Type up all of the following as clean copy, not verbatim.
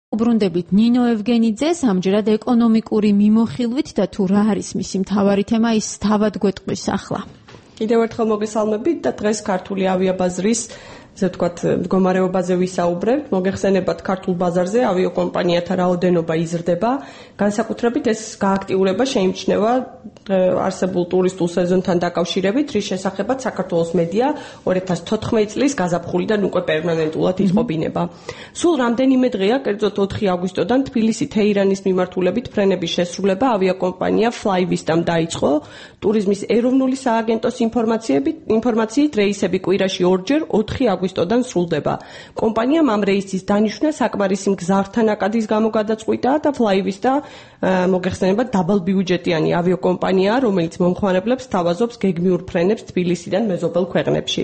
უბრუნდებით ნინო ევგენიძეს, ამჯერად ეკონომიკური მიმოხილვით და თუ რა არის მისი მთავარი თემა, ის თავად გვეტყვის ახლა. კიდევ ერთხელ მოგესალმებით და დღეს ქართული ავიაბაზრის ესე ვთქვათ, მდგომარეობაზე ვისაუბრებთ. მოგეხსენებათ, ქართულ ბაზარზე ავიაკომპანიათა რაოდენობა იზრდება. განსაკუთრებით ეს გააქტიურება შეიმჩნევა არსებულ ტურისტულ სეზონთან დაკავშირებით, რის შესახებაც საქართველოს მედია 2014 წლის გაზაფხულიდან უკვე პერმანენტულად იწყობინება. სულ რამდენიმე დღეა, კერძოდ 4 აგვისტოდან თბილისი-თეირანის მიმართულებით ფრენების შესრულება ავიაკომპანია Flyvista-მ დაიწყო. ტურიზმის ეროვნული სააგენტოს ინფორმაციით რეისები კვირაში 2-ჯერ 4 აგვისტოდან სრულდება. კომპანიამ ამ რეისის დანიშვნა საკმარისი მგზავრთა ნაკადის გამო გადაწყვიტა და Flyvista მოგეხსენებათ დაბალბიუჯეტიანი ავიაკომპანიაა, რომელიც მომხმარებლებს სთავაზობს გეგმიურ ფრენებს თბილისიდან მეზობელ ქვეყნებში.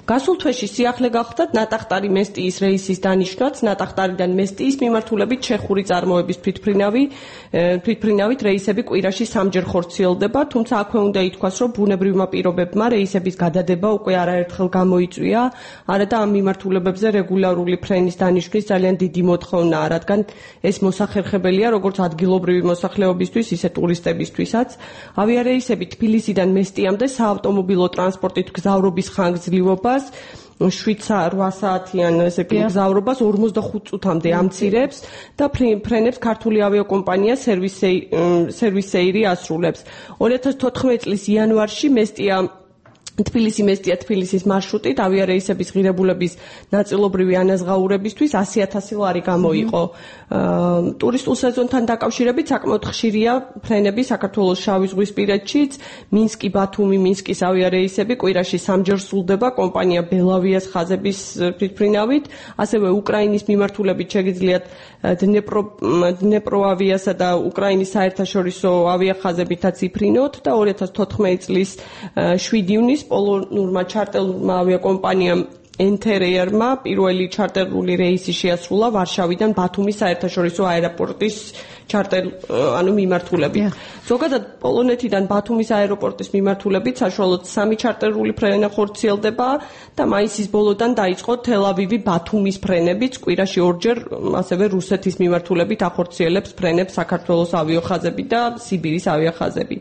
გასულ თვეში სიახლე გახდათ ნატახტარი მესტიის რეისის დანიშვნაც, ნატახტარიდან მესტიის მიმართულებით ჩეხური წარმოების თვითმფრინავით რეისები კვირაში 3-ჯერ ხორციელდება, თუმცა აქვე უნდა ითქვას, რომ ბუნებრივმა პირობებმა რეისების გადადება უკვე არაერთხელ გამოიწვია, არა და ამ მიმართულებებზე რეგულარული ფრენის დანიშვნის ძალიან დიდი მოთხოვნაა, რადგან ეს მოსახერხებელია როგორც ადგილობრივი მოსახლეობისთვის, ისე ტურისტებისთვისაც. ავიარეისები თბილისიდან მესტიამდე საავტომობილო ტრანსპორტით გზავრობის ხანგრძლივობას 7-8 საათიან გზავრობას 45 წუთამდე ამცირებს და ფრენებს ქართული ავიაკომპანია სერვისეირი ასრულებს. 2014 წლის იანვარში თბილისი-მესტია-თბილისის მარშრუტით ავიარეისების ღირებულების ნაწილობრივი ანაზღაურებისთვის 100,000 ლარი გამოიყო. ტურისტულ სეზონთან დაკავშირებით საკმაოდ ხშირია ფრენები საქართველოს შავი ზღვისპირეთშიც, მინსკი-ბათუმი, მინსკის ავიარეისები კვირაში 3-ჯერ სრულდება კომპანია ბელავიას ხაზების თვითმფრინავით, ასევე უკრაინის მიმართულებით შეგიძლიათ დნეპროავიასა და უკრაინის საერთაშორისო ავიახაზებითაც იფრინოთ და 2014 წლის 7 ივნისს პოლონურმა ჩარტერულმა ავიაკომპანიამ Enter-Air-მა პირველი ჩარტერული რეისი შეასრულა ვარშავიდან ბათუმის საერთაშორისო აეროპორტის მიმართულებით. ზოგადად პოლონეთიდან ბათუმის აეროპორტის მიმართულებით საშუალოდ 3 ჩარტერული ფრენა ხორციელდება და მაისის ბოლოდან დაიწყო თელ-ავივი-ბათუმის ფრენებიც, კვირაში 2-ჯერ ასევე რუსეთის მიმართულებით ახორციელებს ფრენებს საქართველოს ავიახაზები და სიბირის ავიახაზები.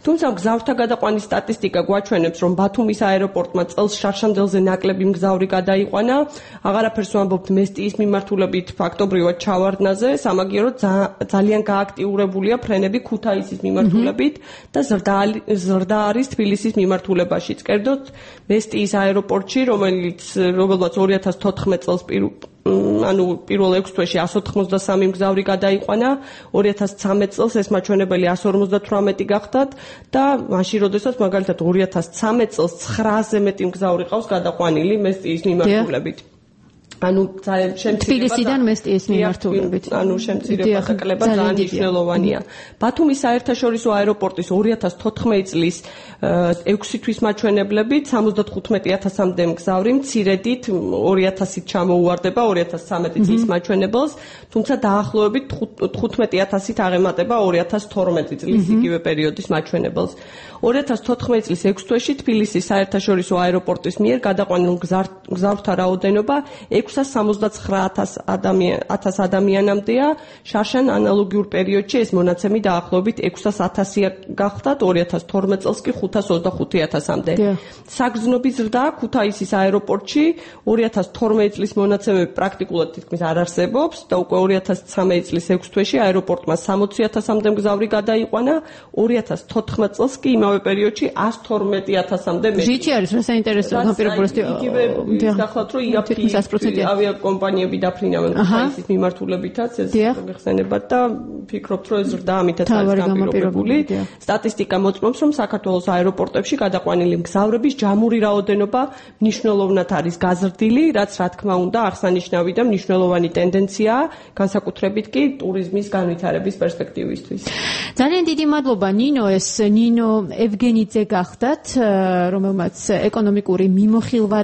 თუმცა მგზავრთა გადაყვანის სტატისტიკა გვაჩვენებს, რომ ბათუმის აეროპორტმა წელს შარშანდელზე ნაკლები მგზავრი გადაიყვანა, აღარაფერს ვამბობთ მესტიის მიმართულებით ფაქტობრივად ჩავარდნაზე, სამაგიეროდ ძალიან გააქტიურებულია ფრენები ქუთაისის მიმართულებით და ზრდა არის თბილისის მიმართულებაშიც. კერძოდ მესტიის აეროპორტში, რომელმაც 2014 წელს პირველ 6 თვეში 183 მგზავრი გადაიყვანა, 2013 წელს ეს მაჩვენებელი 158 გახდათ და მაშინ როდესაც მაგალითად 2013 წელს 900-ზე მეტი მგზავრი ყავს გადაყვანილი მესტიის მიმართულებით. თბილისიდან მესტიის მიმართულებით. შემცირება და კლება ძალიან მნიშვნელოვანია. ბათუმის საერთაშორისო აეროპორტის 2014 წლის 6 თვის მაჩვენებლებით 75,000-მდე მგზავრი მცირედით 2,000-ით ჩამოუვარდება 2013 წლის მაჩვენებელს, თუმცა დაახლოებით 15,000-ით აღემატება 2012 წლის იგივე პერიოდის მაჩვენებელს. 2014 წლის 6 თვეში თბილისის საერთაშორისო აეროპორტის მიერ გადაყვანილ მგზავრთა რაოდენობა 669,000 ადამიანამდეა. შარშან ანალოგიურ პერიოდში ეს მონაცემი დაახლოებით 600,000 გახდათ, 2012 წელს კი 525,000-მდე. საგრძნობი ზრდა ქუთაისის აეროპორტში 2012 წლის მონაცემები პრაქტიკულად თითქმის არ არსებობს და უკვე 2013 წლის 6 თვეში აეროპორტმა 60,000-მდე მგზავრი გადაიყვანა, 2014 წელს კი იმავე პერიოდში 112,000-მდე მეტი. ჟიჩი არის რა საინტერესო განპირობებasti გახლავთ რომ იაფი ავიაკომპანიები დაფრინავენ ქუთაისის მიმართულებითაც ეს მოგეხსენებათ და ფიქრობთ რომ ეს ზრდა ამითაც არის განპირობებული. სტატისტიკა მოწმობს რომ საქართველოს აეროპორტებში გადაყვანილი მგზავრების ჯამური რაოდენობა მნიშვნელოვნად არის გაზრდილი, რაც რა თქმა უნდა აღსანიშნავი და მნიშვნელოვანი ტენდენციაა, განსაკუთრებით კი ტურიზმის განვითარების პერსპექტივისთვის. ძალიან დიდი მადლობა ნინო, ეს ნინო ევგენიძე გახდათ, რომელმაც ეკონომიკური მიმოხილვა